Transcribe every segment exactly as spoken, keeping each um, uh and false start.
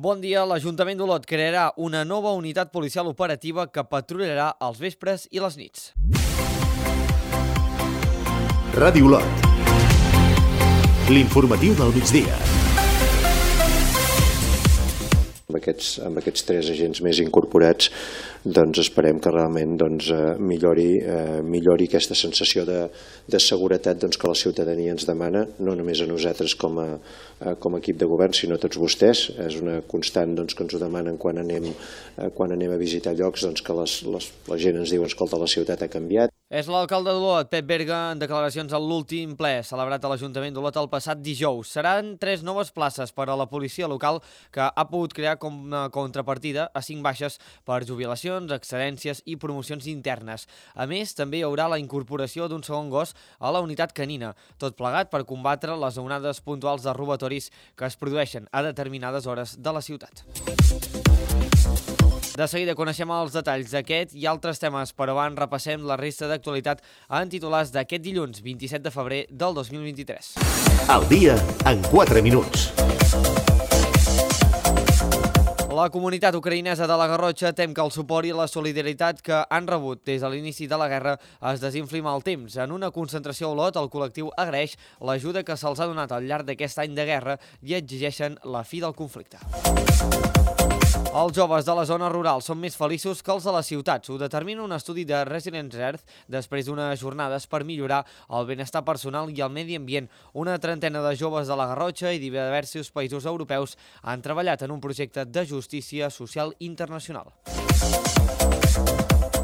Bon dia. L'Ajuntament d'Olot crearà una nova unitat policial operativa que patrullarà als vespres i les nits. Ràdio Olot. L'informatiu del migdia. Amb aquests, amb aquests tres agents més incorporats, doncs esperem que realment doncs, millori, eh, millori aquesta sensació de, de seguretat doncs, que la ciutadania ens demana, no només a nosaltres com a, com a equip de govern, sinó a tots vostès. És una constant doncs, que ens ho demanen quan anem, quan anem a visitar llocs, doncs, que les, les, la gent ens diu, escolta, la ciutat ha canviat. És l'alcalde d'Olot, Pep Berga, en declaracions a l'últim ple celebrat a l'Ajuntament d'Olot el passat dijous. Seran tres noves places per a la policia local que ha pogut crear com a contrapartida a cinc baixes per jubilacions, excedències i promocions internes. A més, també hi haurà la incorporació d'un segon gos a la unitat canina, tot plegat per combatre les onades puntuals de robatoris que es produeixen a determinades hores de la ciutat. De seguida coneixem els detalls d'aquest i altres temes, però abans repassem la resta d'actualitat en titulars d'aquest dilluns vint-i-set de febrer del dos mil vint-i-tres. Al dia en quatre minuts. La comunitat ucraïnesa de la Garrotxa tem que el suport i la solidaritat que han rebut des de l'inici de la guerra es desinfli amb el temps. En una concentració a Olot, el col·lectiu agraeix l'ajuda que se'ls ha donat al llarg d'aquest any de guerra i exigeixen la fi del conflicte. Els joves de la zona rural són més feliços que els de les ciutats. Ho determina un estudi de Resilience Earth després d'unes jornades per millorar el benestar personal i el medi ambient. Una trentena de joves de la Garrotxa i diversos països europeus han treballat en un projecte de justícia social internacional.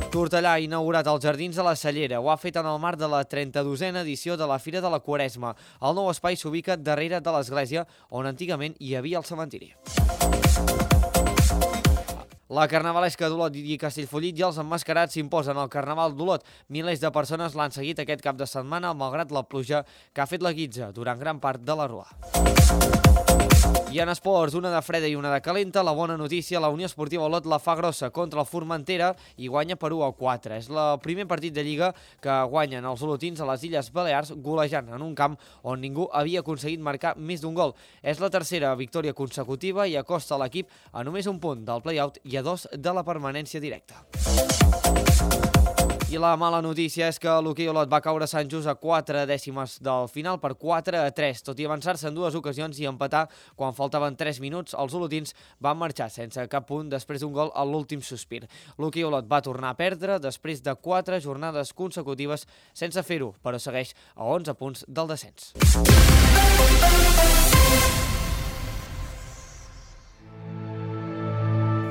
Tortellà ha inaugurat els Jardins de la Cellera. Ho ha fet en el marc de la trenta-dosena edició de la Fira de la Quaresma. El nou espai s'ubica darrere de l'església, on antigament hi havia el cementiri. La carnavalesca d'Olot i Castellfollit i els emmascarats s'imposen al Carnaval d'Olot. Milers de persones l'han seguit aquest cap de setmana, malgrat la pluja que ha fet la guitza durant gran part de la rua. I en esports, una de freda i una de calenta, la bona notícia, la Unió Esportiva Olot la fa grossa contra el Formentera i guanya per u a quatre. És el primer partit de Lliga que guanyen els olotins a les Illes Balears, golejant en un camp on ningú havia aconseguit marcar més d'un gol. És la tercera victòria consecutiva i acosta l'equip a només un punt del play-out i a dos de la permanència directa. I la mala notícia és que l'hoquei Olot va caure a Sant Just a quatre dècimes del final per quatre a tres. Tot i avançar-se en dues ocasions i empatar quan faltaven tres minuts, els olotins van marxar sense cap punt després d'un gol a l'últim sospir. L'hoquei Olot va tornar a perdre després de quatre jornades consecutives sense fer-ho, però segueix a onze punts del descens.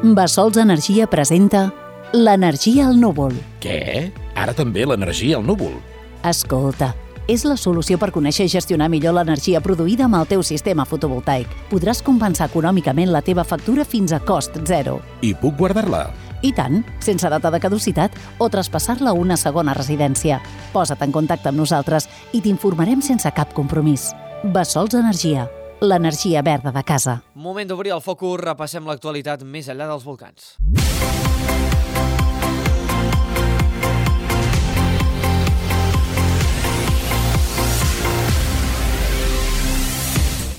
Bassols Energia presenta l'energia al núvol. Què? Ara també l'energia al núvol? Escolta, és la solució per conèixer i gestionar millor l'energia produïda amb el teu sistema fotovoltaic. Podràs compensar econòmicament la teva factura fins a cost zero. I puc guardar-la? I tant, sense data de caducitat o traspassar-la a una segona residència. Posa't en contacte amb nosaltres i t'informarem sense cap compromís. Bassols Energia, l'energia verda de casa. Moment d'obrir el focus, repassem l'actualitat més enllà dels volcans.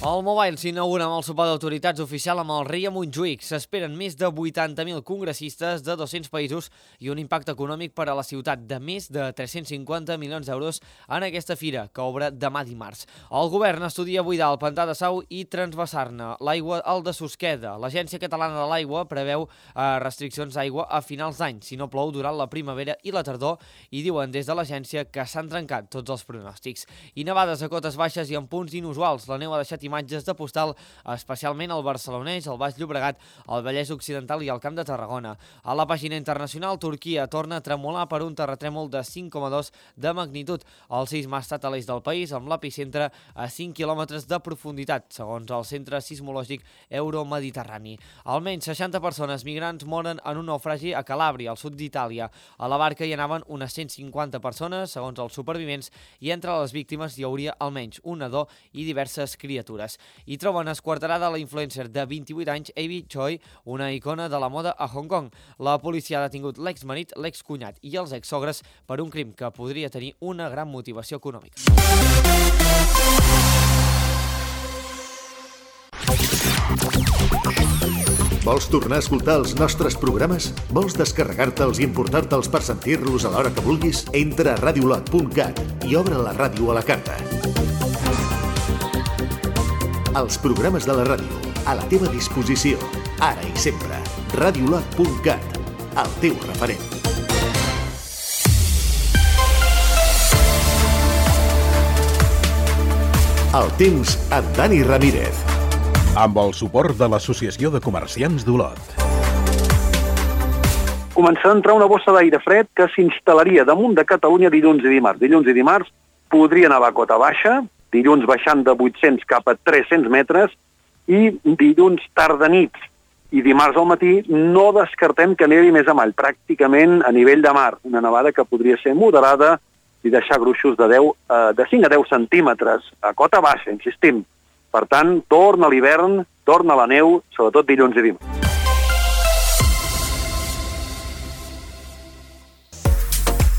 El Mobile s'inaugura amb el sopar d'autoritats oficial amb el rei a Montjuïc. S'esperen més de vuitanta mil congressistes de dos-cents països i un impacte econòmic per a la ciutat de més de tres-cents cinquanta milions d'euros en aquesta fira, que obre demà dimarts. El govern estudia buidar el pantà de Sau i transvasar-ne l'aigua al de Susqueda. L'Agència Catalana de l'Aigua preveu eh, restriccions d'aigua a finals d'any, si no plou durant la primavera i la tardor, i diuen des de l'agència que s'han trencat tots els pronòstics. I nevades a cotes baixes i en punts inusuals. La neu ha deixat imatges de postal, especialment al Barcelonès, al Baix Llobregat, al Vallès Occidental i al Camp de Tarragona. A la pàgina internacional, Turquia torna a tremolar per un terratrèmol de cinc coma dos de magnitud. El sisme ha estat a l'est del país, amb l'epicentre a cinc quilòmetres de profunditat, segons el Centre Sismològic Euromediterrani. Almenys seixanta persones migrants moren en un naufragi a Calàbria, al sud d'Itàlia. A la barca hi anaven unes cent cinquanta persones, segons els supervivents, i entre les víctimes hi hauria almenys un nadó i diverses criatures. I troben esquarterada la influencer de vint-i-vuit anys, Abby Choi, una icona de la moda a Hong Kong. La policia ha detingut l'exmarit, l'excunyat i els exsogres per un crim que podria tenir una gran motivació econòmica. Vols tornar a escoltar els nostres programes? Vols descarregar-te'ls i importar-te'ls per sentir-los a l'hora que vulguis? Entra a radiolot punt cat i obre la ràdio a la carta. Els programes de la ràdio, a la teva disposició, ara i sempre. radiolot punt cat, el teu referent. El temps amb Dani Ramírez. Amb el suport de l'Associació de Comerciants d'Olot. Començarà a entrar una bossa d'aire fred que s'instal·laria damunt de Catalunya dilluns i dimarts. Dilluns i dimarts podria nevar a cota baixa, dilluns baixant de vuit-cents cap a tres-cents metres i dilluns tarda nit i dimarts al matí no descartem que nevi més avall, pràcticament a nivell de mar. Una nevada que podria ser moderada i deixar gruixos de, deu, de cinc a deu centímetres a cota baixa, insistim. Per tant, torna l'hivern, torna la neu, sobretot dilluns i dimarts.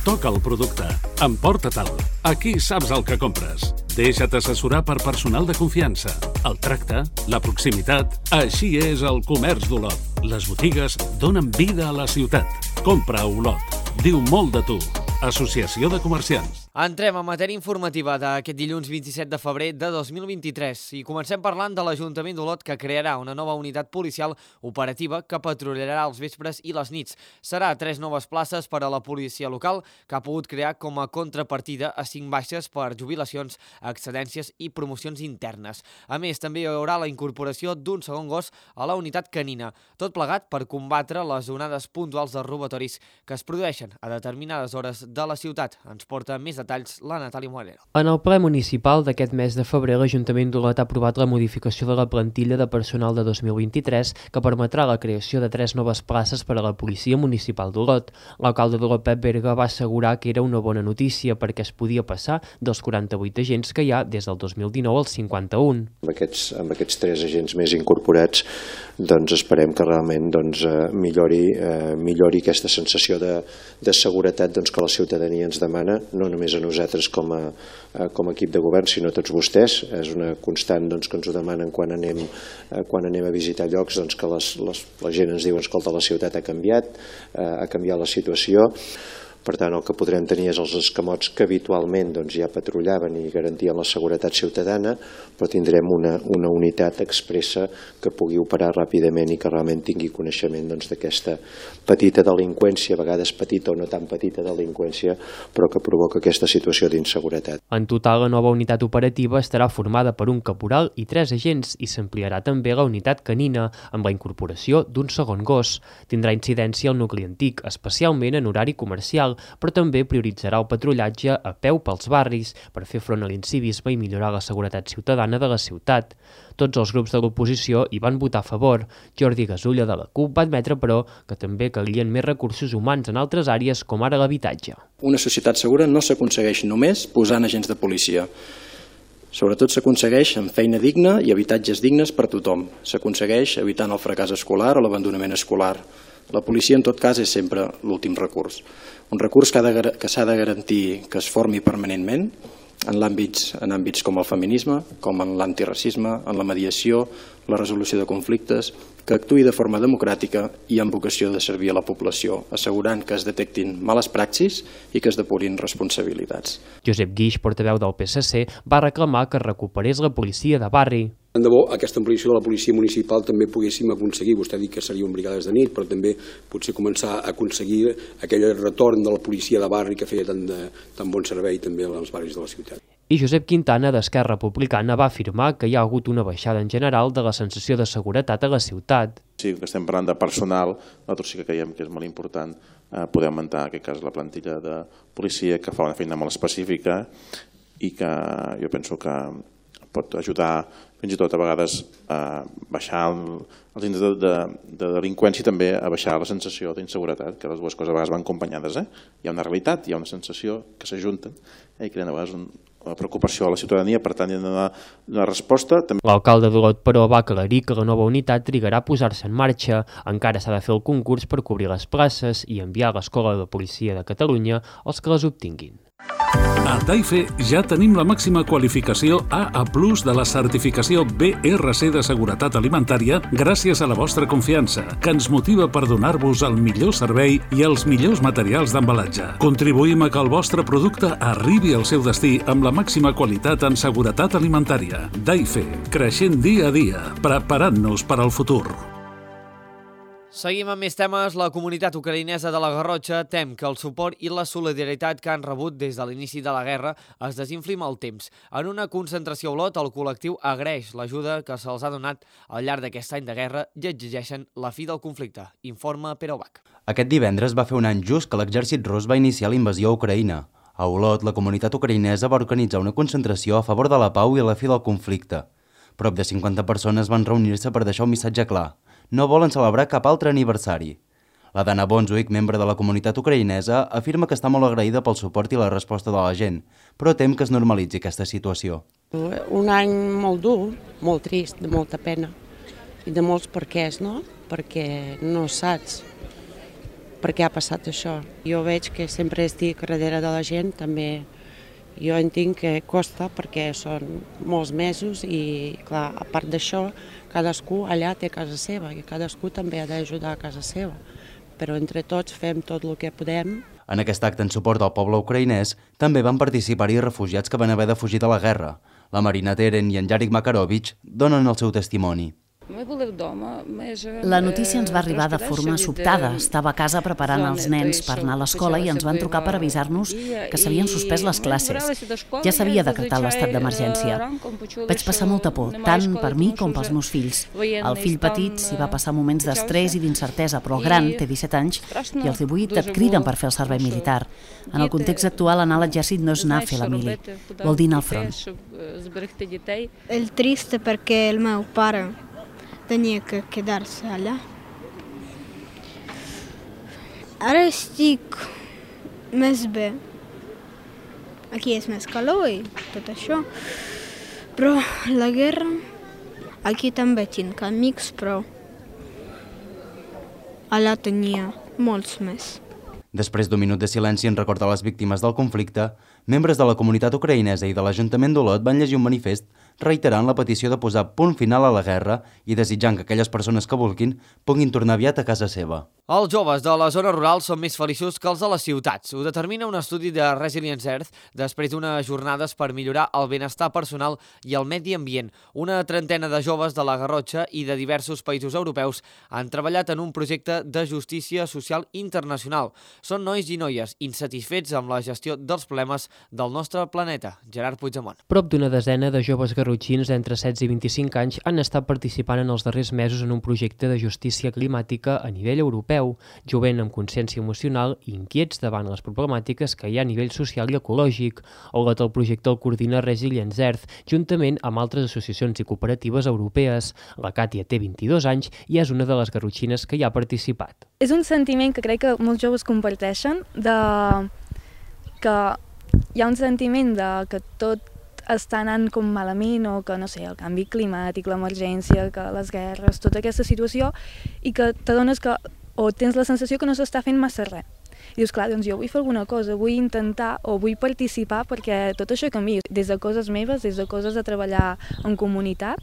Toca el producte, emporta-te'l. Aquí saps el que compres. Deixa't assessorar per personal de confiança. El tracte, la proximitat, així és el comerç d'Olot. Les botigues donen vida a la ciutat. Compra a Olot. Diu molt de tu. Associació de Comerciants. Entrem en matèria informativa d'aquest dilluns vint-i-set de febrer de dos mil vint-i-tres i comencem parlant de l'Ajuntament d'Olot que crearà una nova unitat policial operativa que patrullarà els vespres i les nits. Serà tres noves places per a la policia local que ha pogut crear com a contrapartida a cinc baixes per jubilacions, excedències i promocions internes. A més, també hi haurà la incorporació d'un segon gos a la unitat canina, tot plegat per combatre les onades puntuals de robatoris que es produeixen a determinades hores de la ciutat. Ens porta més detalls la Natàlia Moreno. En el ple municipal d'aquest mes de febrer, l'Ajuntament d'Olot ha aprovat la modificació de la plantilla de personal de dos mil vint-i-tres que permetrà la creació de tres noves places per a la Policia Municipal d'Olot. L'alcalde d'Olot, Pep Berga, va assegurar que era una bona notícia perquè es podia passar dels quaranta-vuit agents que hi ha des del dos mil dinou als cinquanta-un. Amb aquests, amb aquests tres agents més incorporats doncs esperem que realment doncs, millori, eh, millori aquesta sensació de, de seguretat doncs, que la ciutadania ens demana, no només a nosaltres com a, com a equip de govern, sinó a tots vostès. És una constant doncs, que ens ho demanen quan anem, quan anem a visitar llocs, doncs, que les, les, la gent ens diu escolta, la ciutat ha canviat, ha canviat la situació. Per tant, el que podrem tenir és els escamots que habitualment doncs, ja patrullaven i garantien la seguretat ciutadana, però tindrem una, una unitat expressa que pugui operar ràpidament i que realment tingui coneixement doncs, d'aquesta petita delinqüència, a vegades petita o no tan petita delinqüència, però que provoca aquesta situació d'inseguretat. En total, la nova unitat operativa estarà formada per un caporal i tres agents i s'ampliarà també la unitat canina amb la incorporació d'un segon gos. Tindrà incidència al nucli antic, especialment en horari comercial, però també prioritzarà el patrullatge a peu pels barris per fer front a l'incivisme i millorar la seguretat ciutadana de la ciutat. Tots els grups de l'oposició hi van votar a favor. Jordi Gasulla de la CUP va admetre, però, que també calien més recursos humans en altres àrees com ara l'habitatge. Una societat segura no s'aconsegueix només posant agents de policia. Sobretot s'aconsegueix amb feina digna i habitatges dignes per a tothom. S'aconsegueix evitant el fracàs escolar o l'abandonament escolar. La policia, en tot cas, és sempre l'últim recurs. Un recurs que s'ha de garantir que es formi permanentment en àmbits, en àmbits com el feminisme, com en l'antiracisme, en la mediació, la resolució de conflictes, que actuï de forma democràtica i amb vocació de servir a la població, assegurant que es detectin males praxis i que es depurin responsabilitats. Josep Guix, portaveu del P S C, va reclamar que es recuperés la policia de barri. Tant de bo aquesta ampliació de la policia municipal també poguéssim aconseguir, vostè ha dit que serien brigades de nit, però també potser començar a aconseguir aquell retorn de la policia de barri que feia tan, de, tan bon servei també als barris de la ciutat. I Josep Quintana, d'Esquerra Republicana, va afirmar que hi ha hagut una baixada en general de la sensació de seguretat a la ciutat. Sí, que estem parlant de personal, nosaltres sí que creiem que és molt important eh, poder augmentar, en aquest cas, la plantilla de policia, que fa una feina molt específica i que jo penso que pot ajudar fins i tot a vegades a baixar el, els índexs de, de, de delinqüència i també a baixar la sensació d'inseguretat, que les dues coses a vegades van acompanyades. Eh? Hi ha una realitat, hi ha una sensació que s'ajunten eh? i creen a vegades una preocupació a la ciutadania, per tant hi ha de donar una resposta. L'alcalde d'Olot, però, va aclarir que la nova unitat trigarà a posar-se en marxa. Encara s'ha de fer el concurs per cobrir les places i enviar a l'Escola de Policia de Catalunya els que les obtinguin. A Daife ja tenim la màxima qualificació A A plus de la certificació B R C de seguretat alimentària gràcies a la vostra confiança, que ens motiva per donar-vos el millor servei i els millors materials d'embalatge. Contribuïm a que el vostre producte arribi al seu destí amb la màxima qualitat en seguretat alimentària. Daife, creixent dia a dia, preparant-nos per al futur. Seguim amb més temes. La comunitat ucraïnesa de la Garrotxa tem que el suport i la solidaritat que han rebut des de l'inici de la guerra es desinfli amb el temps. En una concentració a Olot, el col·lectiu agraeix l'ajuda que se'ls ha donat al llarg d'aquest any de guerra i exigeixen la fi del conflicte. Informa Pere Obac. Aquest divendres va fer un any just que l'exèrcit rus va iniciar la invasió a Ucraïna. A Olot, la comunitat ucraïnesa va organitzar una concentració a favor de la pau i la fi del conflicte. Prop de cinquanta persones van reunir-se per deixar un missatge clar. No volen celebrar cap altre aniversari. La Dana Bonzuik, membre de la comunitat ucraïnesa, afirma que està molt agraïda pel suport i la resposta de la gent, però tem que es normalitzi aquesta situació. Un any molt dur, molt trist, de molta pena i de molts perquès, no? Perquè no saps per què ha passat això. Jo veig que sempre estic darrere de la gent, també jo entenc que costa perquè són molts mesos i, clar, a part d'això, cadascú allà té casa seva i cadascú també ha d'ajudar a casa seva. Però entre tots fem tot el que podem. En aquest acte en suport al poble ucraïnès també van participar-hi refugiats que van haver de fugir de la guerra. La Marina Teren i en Yarik Makarovich donen el seu testimoni. La notícia ens va arribar de forma sobtada. Estava a casa preparant els nens per anar a l'escola i ens van trucar per avisar-nos que s'havien suspès les classes. Ja s'havia decretat l'estat d'emergència. Vaig passar molta por, tant per mi com pels meus fills. El fill petit s'hi va passar moments d'estrès i d'incertesa, però el gran té disset anys i els divuit et criden per fer el servei militar. En el context actual, anar a l'exèrcit no és anar a fer la mili, vol dir anar al front. El trist perquè el meu pare tenia que quedar-se allà. Ara estic més bé. Aquí és més calor i tot això. Però la guerra... Aquí també tinc amics, però allà tenia molts més. Després d'un minut de silenci en record a les víctimes del conflicte, membres de la comunitat ucraïnesa i de l'Ajuntament d'Olot van llegir un manifest reiterant la petició de posar punt final a la guerra i desitjant que aquelles persones que vulguin puguin tornar aviat a casa seva. Els joves de les zones rurals són més feliços que els de les ciutats. Ho determina un estudi de Resilience Earth després d'unes jornades per millorar el benestar personal i el medi ambient. Una trentena de joves de la Garrotxa i de diversos països europeus han treballat en un projecte de justícia social internacional. Són nois i noies insatisfets amb la gestió dels problemes del nostre planeta. Gerard Puigdemont. Prop d'una desena de joves garrotxins d'entre setze i vint-i-cinc anys han estat participant en els darrers mesos en un projecte de justícia climàtica a nivell europeu, jovent amb consciència emocional i inquiets davant les problemàtiques que hi ha a nivell social i ecològic. Olot, el projecte el coordina Resilience Earth, juntament amb altres associacions i cooperatives europees. La Càtia té vint-i-dos anys i és una de les garrotxines que hi ha participat. És un sentiment que crec que molts joves comparteixen, de que hi ha un sentiment de que tot està anant com malament o que, no sé, el canvi climàtic, l'emergència, que les guerres, tota aquesta situació, i que t'adones que o tens la sensació que no s'està fent massa res. I dius, clar, doncs jo vull fer alguna cosa, vull intentar o vull participar perquè tot això canvia, des de coses meves, des de coses de treballar en comunitat,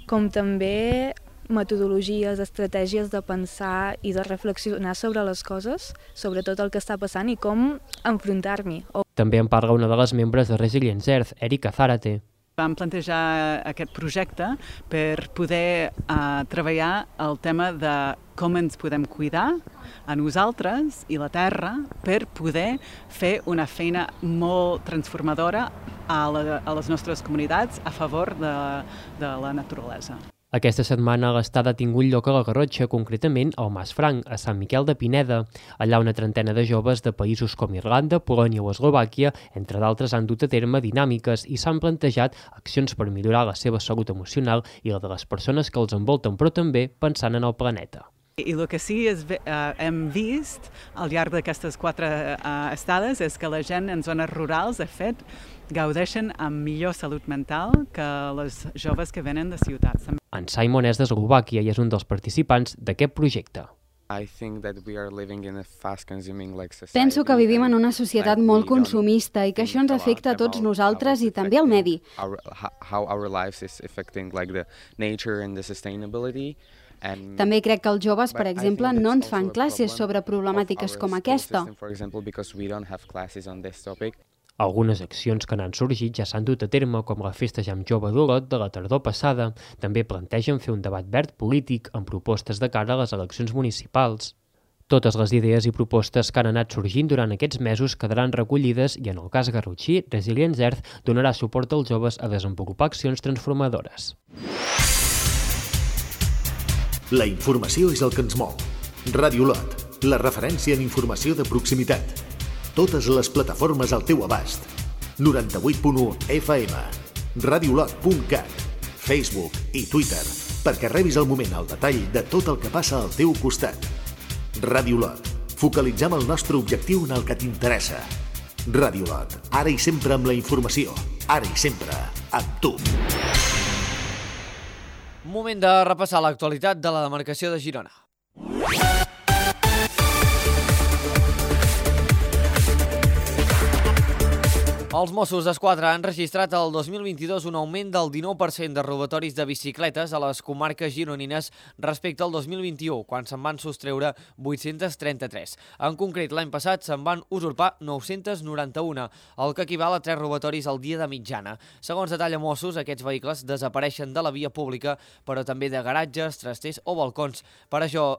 com també metodologies, estratègies de pensar i de reflexionar sobre les coses, sobre tot el que està passant i com enfrontar-m'hi. També en parla una de les membres de Resilience Earth, Erika Zárate. Vam plantejar aquest projecte per poder uh, treballar el tema de com ens podem cuidar a nosaltres i la terra per poder fer una feina molt transformadora a, la, a les nostres comunitats a favor de, de la naturalesa. Aquesta setmana l'estada ha tingut lloc a la Garrotxa, concretament al Mas Franc, a Sant Miquel de Pineda. Allà una trentena de joves de països com Irlanda, Polònia o Eslovàquia, entre d'altres, han dut a terme dinàmiques i s'han plantejat accions per millorar la seva salut emocional i la de les persones que els envolten, però també pensant en el planeta. I el que sí és, eh, hem vist al llarg d'aquestes quatre eh, estades és que la gent en zones rurals, de fet, gaudeixen amb millor salut mental que les joves que venen de ciutats. En Simon és d'Eslovàquia i és un dels participants d'aquest projecte. Penso que vivim en una societat molt consumista i que això ens afecta a tots nosaltres i també al medi. També crec que els joves, per exemple, no ens fan classes sobre problemàtiques com aquesta. Algunes accions que n'han sorgit ja s'han dut a terme, com la Festa Jam Jove d'Olot de la tardor passada. També plantegen fer un debat verd polític amb propostes de cara a les eleccions municipals. Totes les idees i propostes que han anat sorgint durant aquests mesos quedaran recollides i, en el cas garrotxí, Resilience Earth donarà suport als joves a desenvolupar accions transformadores. La informació és el que ens mou. Ràdio Olot, la referència en informació de proximitat. Totes les plataformes al teu abast. noranta-vuit punt u F M, radiolot punt cat, Facebook i Twitter, perquè rebis al moment el detall de tot el que passa al teu costat. Ràdio Olot, focalitzem el nostre objectiu en el que t'interessa. Ràdio Olot, ara i sempre amb la informació, ara i sempre amb tu. Moment de repassar l'actualitat de la demarcació de Girona. Els Mossos d'Esquadra han registrat el dos mil vint-i-dos un augment del dinou per cent de robatoris de bicicletes a les comarques gironines respecte al dos mil vint-i-u, quan se'n van sostreure vuit-cents trenta-tres. En concret, l'any passat se'n van usurpar nou-cents noranta-un, el que equival a tres robatoris al dia de mitjana. Segons detalla Mossos, aquests vehicles desapareixen de la via pública, però també de garatges, trasters o balcons. Per això...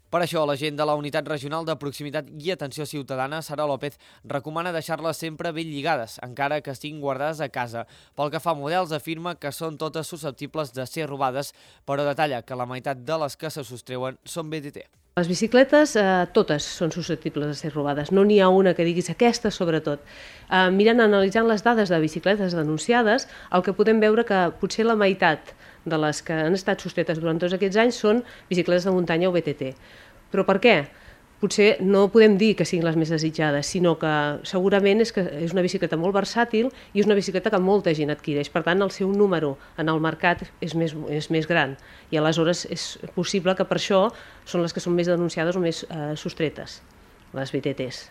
Per això, l'agent de la Unitat Regional de Proximitat i Atenció Ciutadana, Sara López, recomana deixar-les sempre ben lligades, encara que estiguin guardades a casa. Pel que fa a models, afirma que són totes susceptibles de ser robades, però detalla que la meitat de les que se sostreuen són B T T. Les bicicletes, eh, totes són susceptibles de ser robades. No n'hi ha una que diguis aquesta, sobretot. Eh, mirant, analitzant les dades de bicicletes denunciades, el que podem veure que potser la meitat de les que han estat sostretes durant tots aquests anys són bicicletes de muntanya o B T T. Però per què? Potser no podem dir que siguin les més desitjades, sinó que segurament és que és una bicicleta molt versàtil i és una bicicleta que molta gent adquireix. Per tant, el seu número en el mercat és més, és més gran i aleshores és possible que per això són les que són més denunciades o més eh, sostretes, les B T Ts.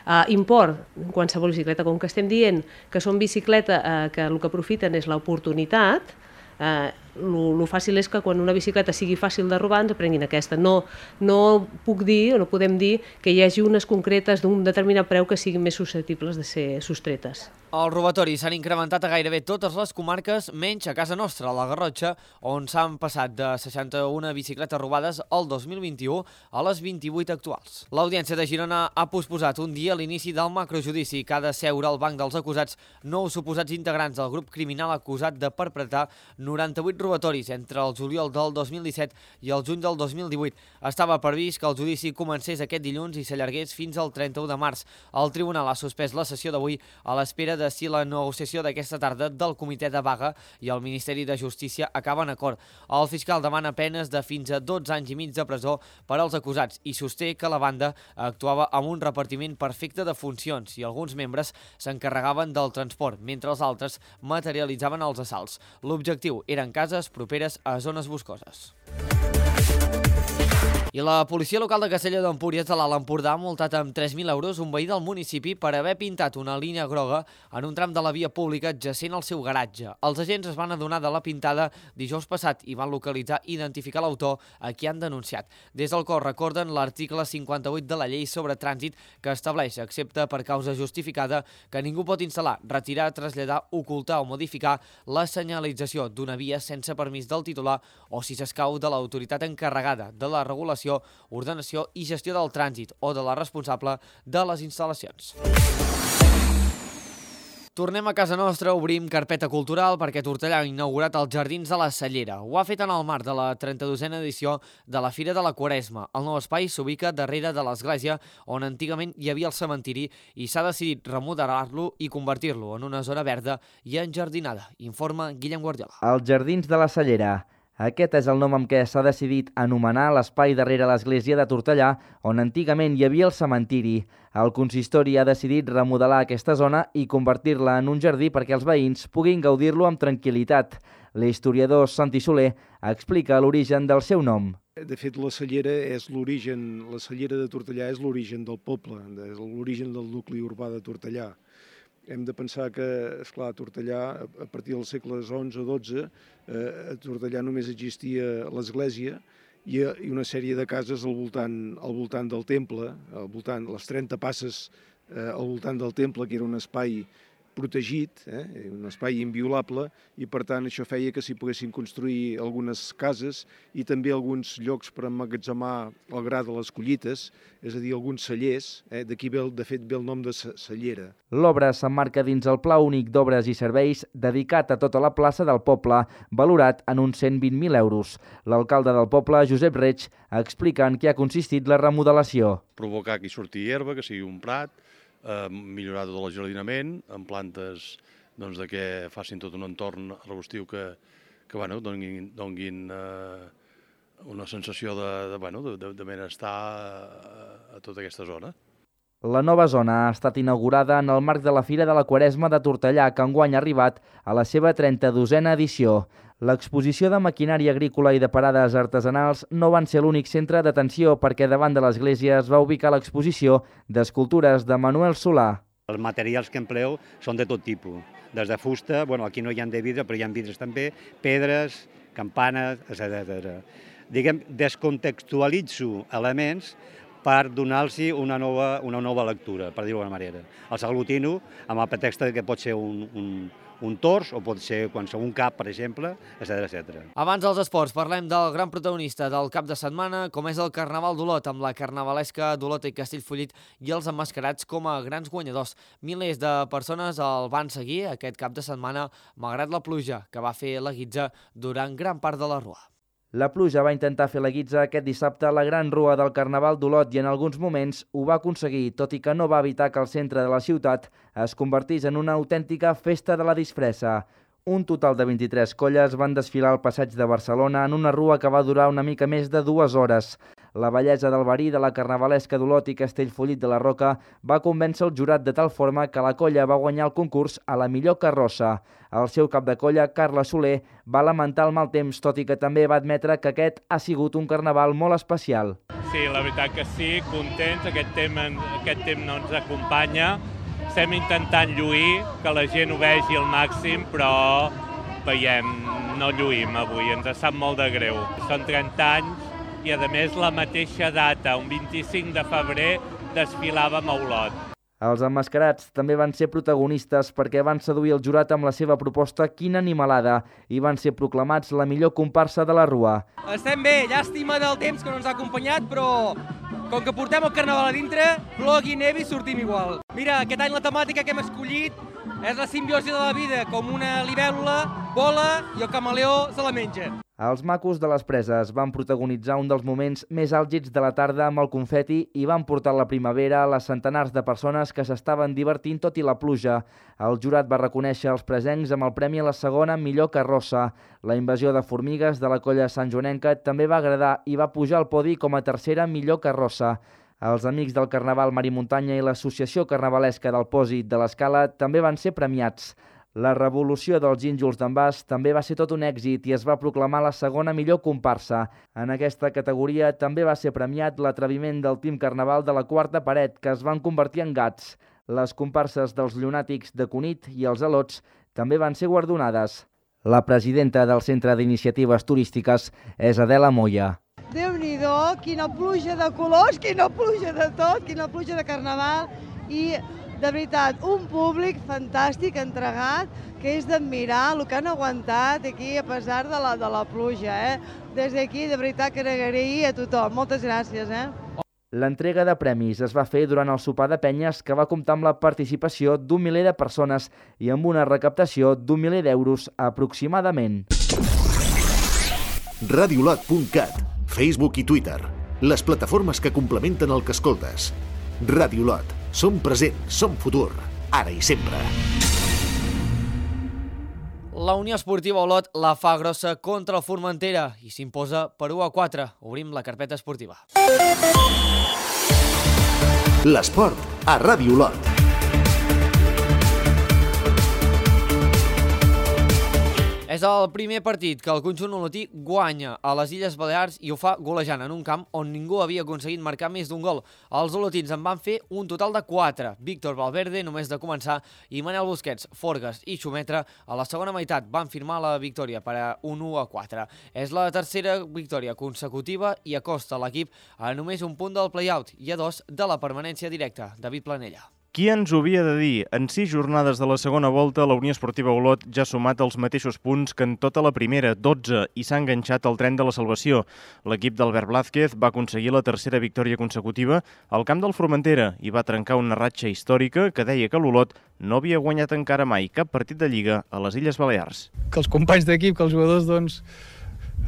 Uh, import, qualsevol bicicleta, com que estem dient que són bicicleta uh, que el que aprofiten és l'oportunitat, Uh, el fàcil és que quan una bicicleta sigui fàcil de robar ens prenguin aquesta. No, no puc dir o no podem dir que hi hagi unes concretes d'un determinat preu que siguin més susceptibles de ser sostretes. Els robatoris s'han incrementat a gairebé totes les comarques, menys a casa nostra, a la Garrotxa, on s'han passat de seixanta-una bicicletes robades el dos mil vint-i-u a les vint-i-vuit actuals. L'Audiència de Girona ha posposat un dia l'inici del macrojudici que ha de seure al banc dels acusats nou suposats integrants del grup criminal acusat de perpetrar noranta-vuit robatoris entre el juliol del dos mil disset i el juny del dos mil divuit. Estava previst que el judici comencés aquest dilluns i s'allargués fins al trenta-u de març. El tribunal ha suspès la sessió d'avui a l'espera de si la negociació d'aquesta tarda del comitè de vaga i el Ministeri de Justícia acaba en acord. El fiscal demana penes de fins a dotze anys i mig de presó per als acusats i sosté que la banda actuava amb un repartiment perfecte de funcions i alguns membres s'encarregaven del transport, mentre els altres materialitzaven els assalts. L'objectiu eren cases properes a zones boscoses. I la policia local de Castelló d'Empúries de l'Alt Empordà ha multat amb tres mil euros un veí del municipi per haver pintat una línia groga en un tram de la via pública adjacent al seu garatge. Els agents es van adonar de la pintada dijous passat i van localitzar i identificar l'autor a qui han denunciat. Des del cos recorden l'article cinquanta-vuit de la llei sobre trànsit que estableix, excepte per causa justificada, que ningú pot instal·lar, retirar, traslladar, ocultar o modificar la senyalització d'una via sense permís del titular o si s'escau de l'autoritat encarregada de la regulació, ordenació i gestió del trànsit o de la responsable de les instal·lacions. Tornem a casa nostra, obrim carpeta cultural perquè Tortellà ha inaugurat els Jardins de la Cellera. Ho ha fet en el marc de la trenta-dosena edició de la Fira de la Quaresma. El nou espai s'ubica darrere de l'església on antigament hi havia el cementiri i s'ha decidit remodelar-lo i convertir-lo en una zona verda i enjardinada, informa Guillem Guardiola. Els Jardins de la Cellera. Aquest és el nom amb què s'ha decidit anomenar l'espai darrere l'església de Tortellà, on antigament hi havia el cementiri. El consistori ha decidit remodelar aquesta zona i convertir-la en un jardí perquè els veïns puguin gaudir-lo amb tranquil·litat. L'historiador Santi Soler explica l'origen del seu nom. De fet, la Cellera és l'origen, la Cellera de Tortellà és l'origen del poble, és l'origen del nucli urbà de Tortellà. Hem de pensar que, esclar, a Tortellà, a partir dels segles onze o dotze, a Tortellà només existia l'església i una sèrie de cases al voltant, al voltant del temple, al voltant, les trenta passes eh, al voltant del temple, que era un espai protegit, eh, un espai inviolable, i per tant això feia que s'hi poguessin construir algunes cases i també alguns llocs per emmagatzemar el gra de les collites, és a dir, alguns cellers, eh, d'aquí ve, de fet ve el nom de cellera. L'obra s'emmarca dins el Pla Únic d'Obres i Serveis dedicat a tota la plaça del poble, valorat en uns cent vint mil euros. L'alcalde del poble, Josep Reig, explica en què ha consistit la remodelació. Provocar que hi surti herba, que sigui un prat, eh, millorar tot el jardinament, amb plantes doncs, de que facin tot un entorn arbustiu que, que bueno, donguin, donguin eh, una sensació de, de, bueno, de, de benestar a, a tota aquesta zona. La nova zona ha estat inaugurada en el marc de la Fira de la Quaresma de Tortellà, que enguany ha arribat a la seva trenta-dosena edició. L'exposició de maquinària agrícola i de parades artesanals no van ser l'únic centre d'atenció, perquè davant de l'església es va ubicar l'exposició d'escultures de Manuel Solà. Els materials que empleu són de tot tipus, des de fusta, bueno, aquí no hi ha de vidre, però hi ha vidres també, pedres, campanes, etcètera. Diguem, descontextualitzo elements per donar-los una nova, una nova lectura, per dir-ho d'alguna manera. Els aglutino amb el pretext que pot ser un, un, un tors o pot ser qualsevol cap, per exemple, etcètera, etcètera. Abans dels esports, parlem del gran protagonista del cap de setmana, com és el Carnaval d'Olot, amb la carnavalesca d'Olot i Castellfollit i els emmascarats com a grans guanyadors. Milers de persones el van seguir aquest cap de setmana, malgrat la pluja que va fer la guitza durant gran part de la rua. La pluja va intentar fer la guitza aquest dissabte a la gran rua del Carnaval d'Olot i en alguns moments ho va aconseguir, tot i que no va evitar que el centre de la ciutat es convertís en una autèntica festa de la disfressa. Un total de vint-i-tres colles van desfilar al passeig de Barcelona en una rua que va durar una mica més de dues hores. La bellesa del verí de la carnavalesca d'Olot i Castellfollit de la Roca va convèncer el jurat de tal forma que la colla va guanyar el concurs a la millor carrossa. El seu cap de colla, Carles Soler, va lamentar el mal temps, tot i que també va admetre que aquest ha sigut un carnaval molt especial. Sí, la veritat que sí, contents, aquest temps, aquest temps no ens acompanya. Estem intentant lluir, que la gent ho vegi al màxim, però veiem, no lluïm avui, ens sap molt de greu. Són trenta anys i, a més, la mateixa data, un vint-i-cinc de febrer, desfilàvem a Olot. Els emmascarats també van ser protagonistes perquè van seduir el jurat amb la seva proposta Quina animalada i van ser proclamats la millor comparsa de la rua. Estem bé, llàstima del temps que no ens ha acompanyat, però com que portem el carnaval a dintre, plogui, nevi, sortim igual. Mira, aquest any la temàtica que hem escollit és la simbiosi de la vida, com una libèl·lula vola i el camaleó se la menja. Els macos de les preses van protagonitzar un dels moments més àlgids de la tarda amb el confeti i van portar la primavera a les centenars de persones que s'estaven divertint tot i la pluja. El jurat va reconèixer els presencs amb el premi a la segona millor carrossa. La invasió de formigues de la colla santjoanenca també va agradar i va pujar al podi com a tercera millor carrossa. Els amics del Carnaval Mar i Muntanya i l'Associació Carnavalesca del Pòsit de l'Escala també van ser premiats. La revolució dels gínjols d'Envàs també va ser tot un èxit i es va proclamar la segona millor comparsa. En aquesta categoria també va ser premiat l'atreviment del Team Carnaval de la Quarta Paret, que es van convertir en gats. Les comparses dels llunàtics de Cunit i els Alots també van ser guardonades. La presidenta del Centre d'Iniciatives Turístiques és Adela Moya. Déu-n'hi-do, quina pluja de colors, quina pluja de tot, quina pluja de carnaval i, de veritat, un públic fantàstic, entregat, que és d'admirar el que han aguantat aquí a pesar de la, de la pluja. Eh? Des d'aquí, de veritat, que agrair a tothom. Moltes gràcies. Eh? L'entrega de premis es va fer durant el sopar de penyes, que va comptar amb la participació d'un miler de persones i amb una recaptació d'un miler d'euros aproximadament. radiolot punt cat, Facebook i Twitter, les plataformes que complementen el que escoltes. Radiolot, som present, som futur, ara i sempre. La Unió Esportiva Olot la fa grossa contra el Formentera i s'imposa per u a quatre. Obrim la carpeta esportiva. L'esport a Ràdio Olot. És el primer partit que el conjunt olotí guanya a les Illes Balears i ho fa golejant en un camp on ningú havia aconseguit marcar més d'un gol. Els olotins en van fer un total de quatre. Víctor Valverde, només de començar, i Manel Busquets, Forgas i Xumetre a la segona meitat van firmar la victòria per a un u a quatre. És la tercera victòria consecutiva i acosta l'equip a només un punt del play-out i a dos de la permanència directa. David Planella. Qui ens ho havia de dir? En sis jornades de la segona volta, la Unió Esportiva Olot ja ha sumat els mateixos punts que en tota la primera, dotze, i s'ha enganxat al tren de la salvació. L'equip d'Albert Blázquez va aconseguir la tercera victòria consecutiva al camp del Formentera i va trencar una ratxa històrica que deia que l'Olot no havia guanyat encara mai cap partit de Lliga a les Illes Balears. Que els companys d'equip, que els jugadors, doncs,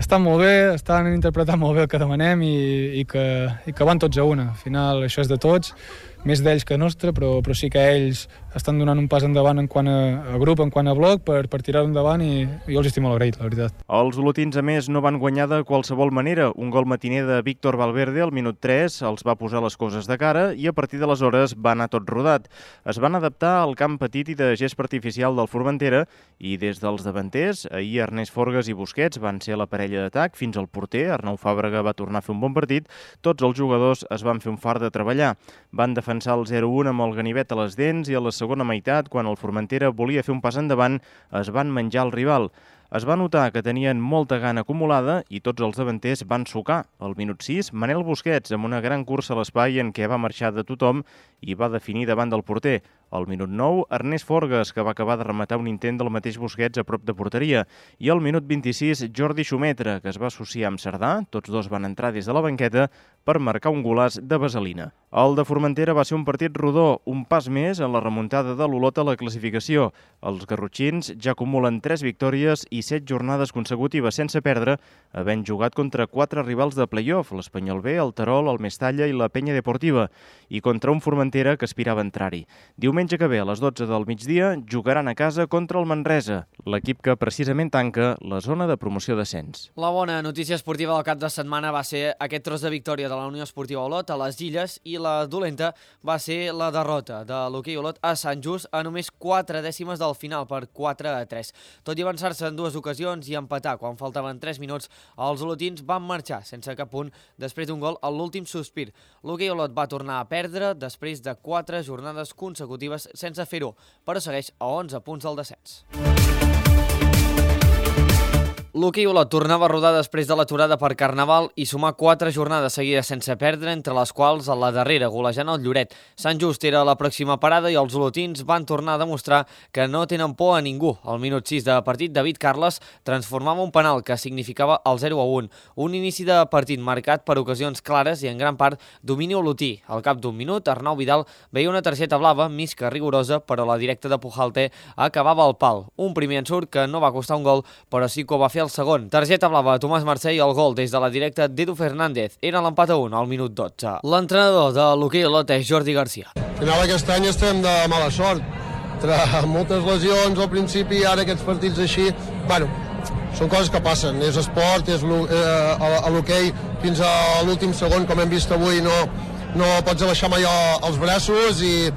estan molt bé, estan interpretant molt bé el que demanem i, i, que, i que van tots a una. Al final això és de tots, més d'ells que nostre, però, però sí que ells estan donant un pas endavant en quant a, a grup, en quant a bloc, per, per tirar endavant i jo els estic molt agraït, la veritat. Els olotins, a més, no van guanyar de qualsevol manera. Un gol matiner de Víctor Valverde al minut tres els va posar les coses de cara i a partir d'aleshores va anar tot rodat. Es van adaptar al camp petit i de gest artificial del Formentera i des dels davanters, ahir Ernest Forgas i Busquets van ser la parella d'atac, fins al porter, Arnau Fàbrega, va tornar a fer un bon partit. Tots els jugadors es van fer un fart de treballar. Van defensar el zero a un amb el ganivet a les dents i a la segona meitat, quan el Formentera volia fer un pas endavant, es van menjar el rival. Es va notar que tenien molta gana acumulada i tots els davanters van sucar. Al minut sis, Manel Busquets, amb una gran cursa a l'espai en què va marxar de tothom i va definir davant del porter. Al minut nou, Ernest Forgas, que va acabar de rematar un intent del mateix Busquets a prop de porteria. I al minut vint-i-sis, Jordi Xumetre, que es va associar amb Cerdà. Tots dos van entrar des de la banqueta per marcar un golaç de vaselina. El de Formentera va ser un partit rodó, un pas més en la remuntada de l'Olot a la classificació. Els garrotxins ja acumulen tres victòries i set jornades consecutives sense perdre, havent jugat contra quatre rivals de play-off, l'Espanyol B, el Terol, el Mestalla i la Penya Deportiva, i contra un Formentera que aspirava a entrar-hi. Diumenge que ve, a les dotze del migdia, jugaran a casa contra el Manresa, l'equip que precisament tanca la zona de promoció d'ascens. La bona notícia esportiva del cap de setmana va ser aquest tros de victòria de la Unió Esportiva Olot a les Illes i la dolenta va ser la derrota de l'hoquei Olot a Sant Just a només quatre dècimes del final per quatre a tres. Tot i avançar-se en dues ocasions i empatar quan faltaven tres minuts, els olotins van marxar sense cap punt després d'un gol a l'últim sospir. L'hoquei Olot va tornar a perdre després de quatre jornades consecutives sense fer-ho, però segueix a onze punts del descens. L'hoquei Olot tornava a rodar després de l'aturada per Carnaval i sumar quatre jornades seguides sense perdre, entre les quals a la darrera, golejant el Lloret. Sant Just era la pròxima parada i els olotins van tornar a demostrar que no tenen por a ningú. Al minut sis de partit, David Carles transformava un penal que significava el zero a un. Un inici de partit marcat per ocasions clares i en gran part domini olotí. Al cap d'un minut, Arnau Vidal veia una targeta blava, més que rigorosa, però la directa de Pujalte acabava al pal. Un primer ensurt que no va costar un gol, però sí que ho va fer el segon. Targeta blava a Tomàs Mercè i el gol des de la directa d'Edu Fernández. Era l'empat a un al minut dotze. L'entrenador de l'hoquei Olot és Jordi Garcia. Al final aquest any estem de mala sort. Tra moltes lesions al principi i ara aquests partits així, bueno, són coses que passen. És esport, és eh, a l'hoquei fins a l'últim segon, com hem vist avui, no, no pots abaixar mai els braços i,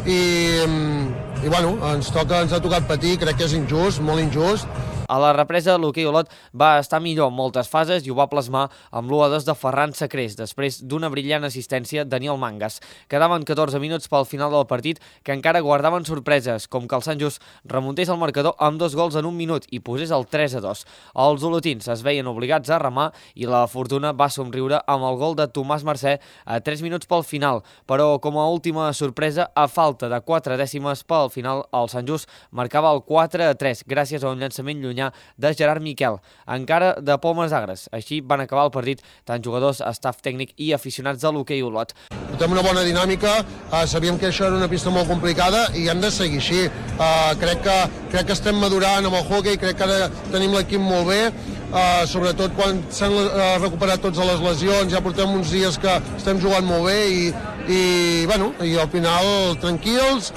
i, i bueno, ens, toca, ens ha tocat patir, crec que és injust, molt injust. A la represa, l'hoquei Olot va estar millor en moltes fases i ho va plasmar amb l'u a dos de Ferran Sacrés, després d'una brillant assistència de Daniel Mangas. Quedaven catorze minuts pel final del partit que encara guardaven sorpreses, com que el Sant Just remuntés el marcador amb dos gols en un minut i posés el tres a dos. Els olotins es veien obligats a remar i la fortuna va somriure amb el gol de Tomàs Mercè a tres minuts pel final, però com a última sorpresa, a falta de quatre dècimes pel final, el Sant Just marcava el quatre a tres gràcies a un llançament llunyà de Gerard Miquel, encara de pomes agres. Així van acabar el partit tant jugadors, staff tècnic i aficionats de l'hoquei Olot. Portem una bona dinàmica, uh, sabíem que això era una pista molt complicada i hem de seguir així. Uh, crec, que, crec que estem madurant amb el hoquei, crec que ara tenim l'equip molt bé, uh, sobretot quan s'han uh, recuperat tots les lesions, ja portem uns dies que estem jugant molt bé i, i, bueno, i al final tranquils.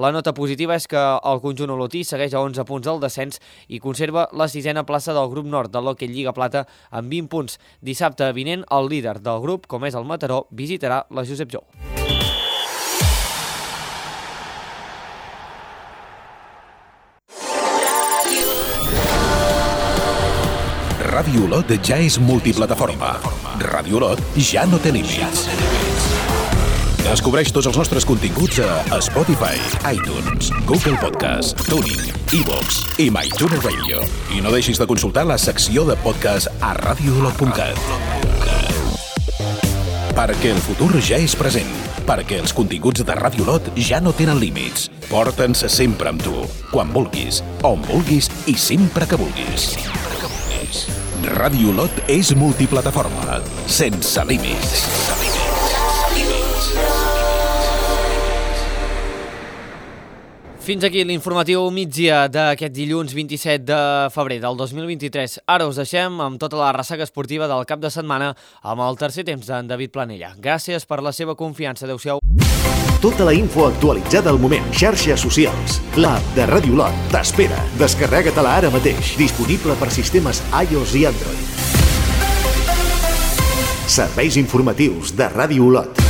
La nota positiva és que el conjunt olotí segueix a onze punts del descens i conserva la sisena plaça del grup nord de l'hoquei Lliga Plata amb vint punts. Dissabte vinent, el líder del grup, com és el Mataró, visitarà la Josep Jou. Ràdio Olot ja és multiplataforma. Ràdio Olot ja no té límits. Descobreix tots els nostres continguts a Spotify, iTunes, Google Podcast, TuneIn, iVoox i MyTuner Radio. I no deixis de consultar la secció de podcast a radio olot punt cat. Perquè el futur ja és present. Perquè els continguts de Ràdio Olot ja no tenen límits. Porta'ns sempre amb tu, quan vulguis, on vulguis i sempre que vulguis. Ràdio Olot és multiplataforma, sense límits. Fins aquí l'informatiu migdia d'aquest dilluns vint-i-set de febrer del dos mil vint-i-tres. Ara us deixem amb tota la ressaca esportiva del cap de setmana amb el tercer temps d'en David Planella. Gràcies per la seva confiança. Adéu-siau. Tota la info actualitzada al moment. Xarxes socials. L'app de Ràdio Olot t'espera. Descarrega-te-la ara mateix. Disponible per sistemes iOS i Android. Serveis informatius de Ràdio Olot.